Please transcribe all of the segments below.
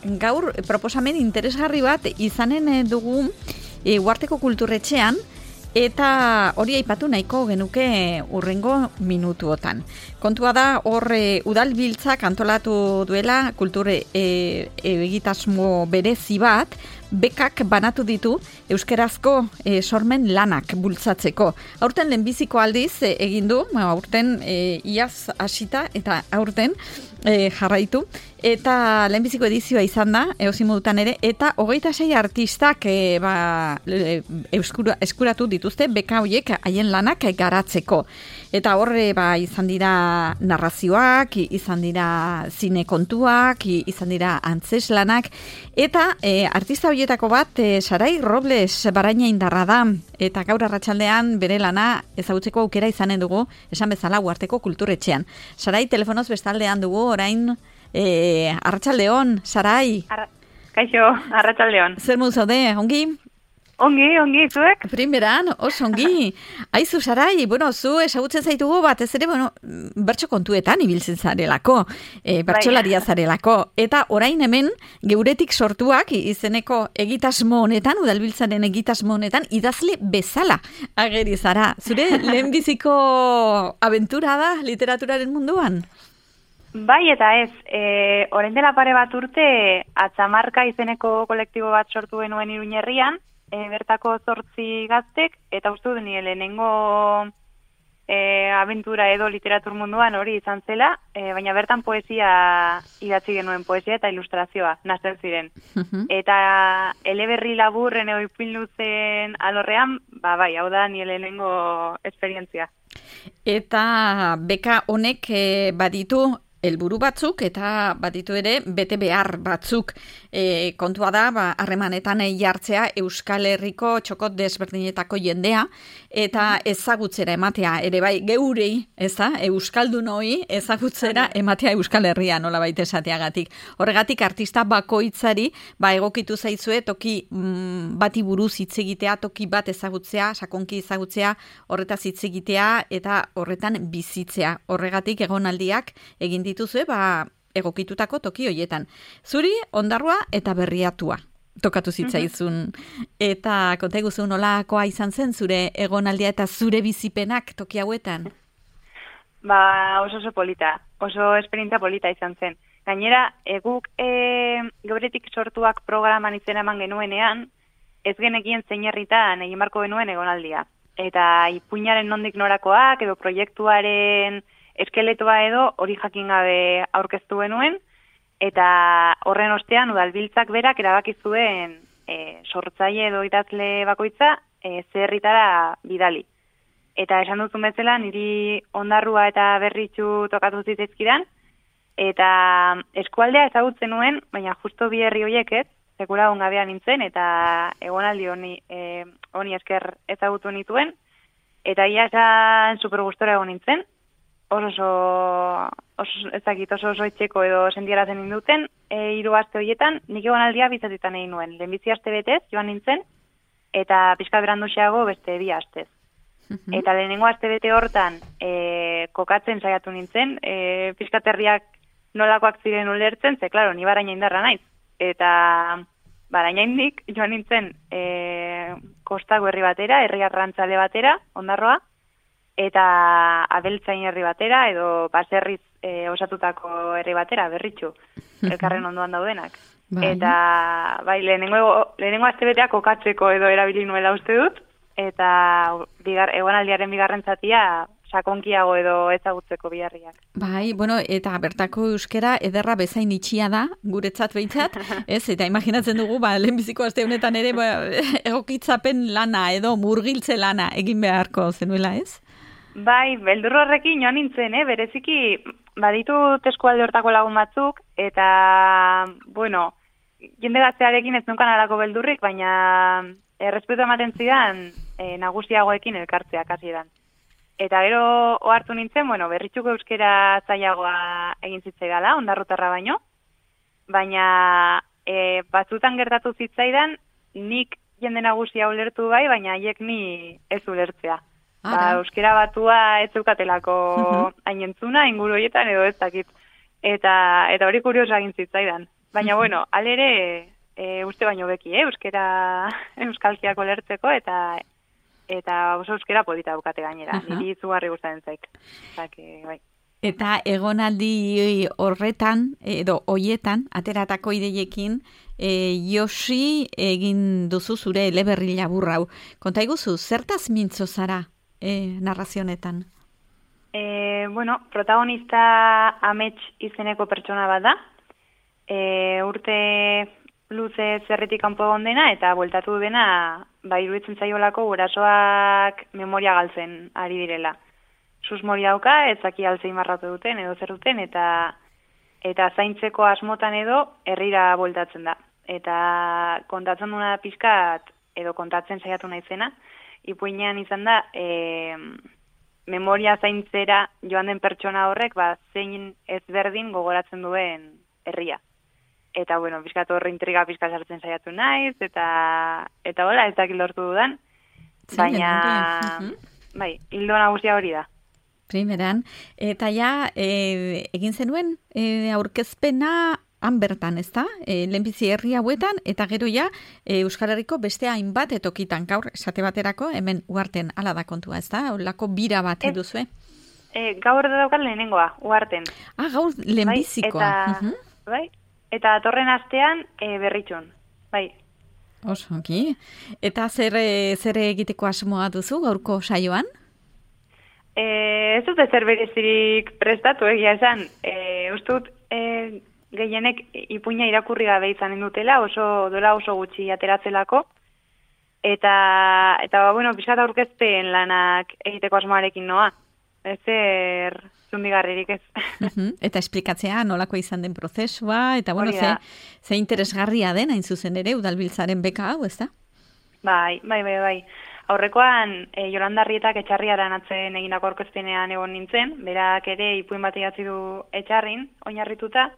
Gaur proposamen interesgarri bat izanen dugu Uharteko Kulturretxean, eta hori aipatu nahiko genuke hurrengo minutuotan. Kontua da hor udalbiltzak antolatu duela kultur egitasmo berezi bat, bekak banatu ditu euskerazko sormen lanak bultzatzeko. Aurten lehenbiziko aldiz egin du, aurten iaz hasita eta aurten jarraitu. Eta lehenbiziko edizioa izan da, eozimodutan ere, eta 26 artistak eskuratu dituzte beka horiek haien lanak garatzeko. Eta horre izan dira narrazioak, izan dira zine kontuak, izan dira antzeslanak, eta artista horietako bat Sarai Robles Baraina Indarra da, eta gaur arratsaldean bere lana ezagutzeko aukera izanen dugu, esan bezala Uharteko Kulturretxean. Sarai, telefonoz bestaldean dugu orain. Arratsaldeon, Sarai. Kaixo, arratsaldeon. Zer modu zaude, ongi? Ongi, zuek? Primeran, oso ongi. Aizu, Sarai, zu ezagutzen zaitugu batez ere, bertso kontuetan ibiltzen zarelako, bertsolaria zarelako. Eta orain hemen, geuretik sortuak izeneko egitasmo honetan, udalbiltzaren egitasmo honetan, idazle bezala ageri zara. Zure lehenbiziko abentura da literaturaren munduan? Bai eta ez, orain dela pare bat urte Atzamarka izeneko kolektibo bat sortu genuen Iruñerrian, bertako 8 gaztek, eta uste dut nire lehenengo abentura edo literatur munduan hori izan zela, baina bertan poesia idatzi genuen, poesia eta ilustrazioa, nazten ziren. Eta eleberri laburren edo ipin luzen alorrean, bai, hau da nire lehenengo esperientzia. Eta beka honek baditu helburu batzuk eta baditu ere bete behar batzuk. Kontua da, harremanetan jartzea Euskal Herriko txokot desberdinetako jendea eta ezagutzera ematea ere bai geurei, euskaldunoi ezagutzera ematea Euskal Herria nolabait esateagatik. Horregatik artista bakoitzari egokitu zaizue toki bati buruz hitz egitea, toki bat ezagutzea, sakonki ezagutzea, horretaz hitz egitea eta horretan bizitzea. Horregatik egonaldiak egin dituzue egokitutako toki hoietan. Zuri Ondarroa eta Berriatua tokatu zitzaizun. Eta konta iguzu nolakoa izan zen zure egonaldia eta zure bizipenak toki hauetan? Oso polita, oso esperientzia polita izan zen. Gainera, guk geuretik sortuak programan izena eman genuenean, ez genekien zein herritan egin barko genuen egonaldia. Eta ipuinaren nondik norakoak edo proiektuaren eskeletoa edo hori jakin gabe aurkeztu genuen, eta horren ostean udalbiltzak berak erabaki zuen sortzaile edo idazle bakoitza zerritara bidali. Eta esan duzun bezala niri Ondarrua eta Berritxu tokatu zitzaizkidan, eta eskualdea ezagutzen nuen, baina justo bi herri horiek ez, sekula ongabean nintzen, eta egonaldi honi esker ezagutu nituen, eta ia esan super gustora egon nintzen, oso etxeko edo sentiarazen induten, 3 aste horietan, nik egonaldia bizatitan egin nuen. Lehenbizi aste betez, joan nintzen, eta pixka beranduxeago beste 2 astez. Eta lehenengo aste bete hortan, kokatzen saiatu nintzen, pixkaterriak nolakoak ziren ulertzen, ze, klaro, ni Baraina Indarra naiz. Eta Baraina Indik joan nintzen kostako herri batera, herri arrantzale batera, Ondarroa, eta Abeltzain herri batera, edo baserriz osatutako herri batera, Berritxu, elkarren ondoan daudenak. Eta lehenengo astebetea kokatzeko edo erabili nuela uste dut, eta egonaldiaren bigarren zatia sakonkiago edo ezagutzeko biharriak. Eta bertako euskera ederra bezain itxia da, guretzat behintzat, eta imaginatzen dugu, lehenbiziko aste honetan ere egokitzapen lana edo murgiltze lana egin beharko zenuela, ez? Beldur horrekin joan nintzen, bereziki baditut eskualde hortako lagun batzuk, eta, jende gaztearekin ez nunkan alako beldurrik, baina errespetu ematen zidan nagusiagoekin elkartzeak hasieran. Eta gero ohartu nintzen, Berritxuko euskera zailagoa egin zitzaidala, ondarrutarra baino, baina batzutan gertatu zitzaidan, nik jende nagusia ulertu baina haiek ni ez ulertzea. Euskera batua ez zeukatelako hainentzuna, inguru horietan edo ez dakit. Eta hori kurioso egin zitzaidan. Baina, bueno, alere, uste baino beki, euskalkiak olertzeko, eta oso euskera polita bukate gainera. Niri izugarri gustatzen zaik. Bai. Eta egonaldi horretan, edo hoietan, ateratako ideiekin, Josi egin duzu zure eleberri laburra hau. Konta iguzu, zertaz mintzo zara narrazionetan? Bueno, protagonista Amets izeneko pertsona bat da. Urte luze zerritik kanpo egon dena, eta bueltatu dena, iruditzen zaiolako gurasoak memoria galtzen ari direla. Susmori dauka, ezaki alzein marratu duten, edo zer duten, eta zaintzeko asmotan edo herrira bueltatzen da. Eta kontatzen duna pixkat, edo kontatzen saiatu naizena, ipuinean izan da, memoria zaintzera joan den pertsona horrek, zein ezberdin gogoratzen duen herria. Eta, bueno, pixkat horre intriga pixkat sartzen saiatu naiz, eta hola, ez dakit lortu dudan, baina, bai, hildo nagusia hori da. Primeran, eta ja, egin zenuen aurkezpena han bertan, ez da? Lehenbizi herri hauetan, eta gero ja, Euskal Herriko beste hainbat etokitan, gaur, esate baterako, hemen uarten ala da kontua, ez da? Olako bira bat eduzue? Gaur da daukat lehenengoa, uarten. Gaur lehenbizikoa. Bai, eta atorren astean berritxun, bai. Osoki. Eta zer egiteko asmoa duzu gaurko saioan? Ez dute zer berezirik prestatu egia esan. Ustut gehienek ipuina irakurri gabe izanen dutela, dola oso gutxi ateratzelako. Eta bueno, pixkat aurkezpen lanak egiteko asmoarekin noa. Ezer zundigarririk ez. Eta esplikatzea nolako izan den prozesua, eta bueno, ze interesgarria den, hain zuzen ere, Udalbiltzaren beka hau, ez da? Bai. Aurrekoan, Jolanda Arrietak Etxarriaran atzen egindako aurkezpenean egon nintzen, berak ere ipuin bat idatzi du Etxarrin, oinarrituta,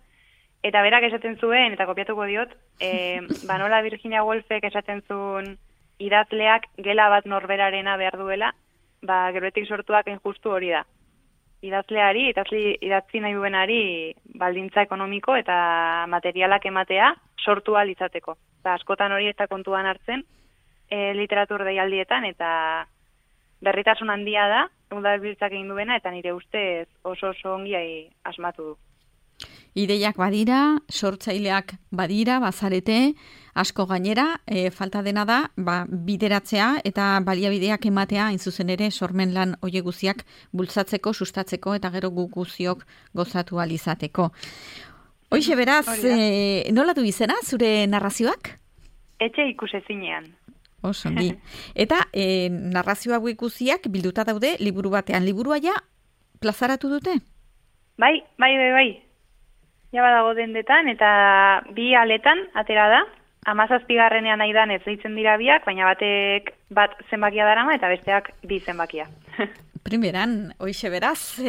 eta berak esaten zuen, eta kopiatuko diot, nola Virginia Woolfek esaten zuen idazleak gela bat norberarena behar duela, geroetik sortuak injustu hori da. Idazleari, idatzi nahi duenari baldintza ekonomiko eta materialak ematea sortu ahal izateko. Askotan hori ez da kontuan hartzen, literatur deialdietan, eta berritasun handia da, Udalbiltzak egin duena, eta nire ustez oso ongi asmatu du. Ideiak badira, sortzaileak badira, bazarete, asko gainera, falta dena da, bideratzea eta baliabideak ematea, hain zuzen ere, sormen lan oie guziak bultzatzeko, sustatzeko, eta gero guziok gozatu alizateko. Hoixe beraz, nola du izena, zure narrazioak? Etxe ikusezinean. Osongi. Eta narrazio hau ikusiak bilduta daude liburu batean. Liburua ja plazaratu dute? Bai. Ja badago dendetan eta 2 aletan atera da. 17. aidan ez deitzen dira biak, baina batek bat zenbakia darama eta besteak 2 zenbakia. Primeran, hoixe beraz,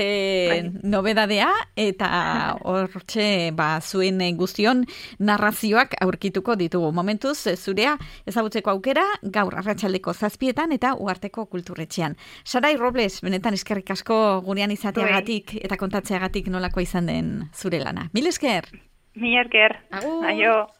nobedadea eta hortxe zuen guztion narrazioak aurkituko ditugu. Momentuz, zurea ezagutzeko aukera, gaur arratsaldeko 7 eta Uharteko Kulturretxean. Sarai Robles, benetan eskerrik asko gurean izateagatik eta kontatzeagatik nolakoa izan den zure lana. Mil esker! Mil esker! Aio!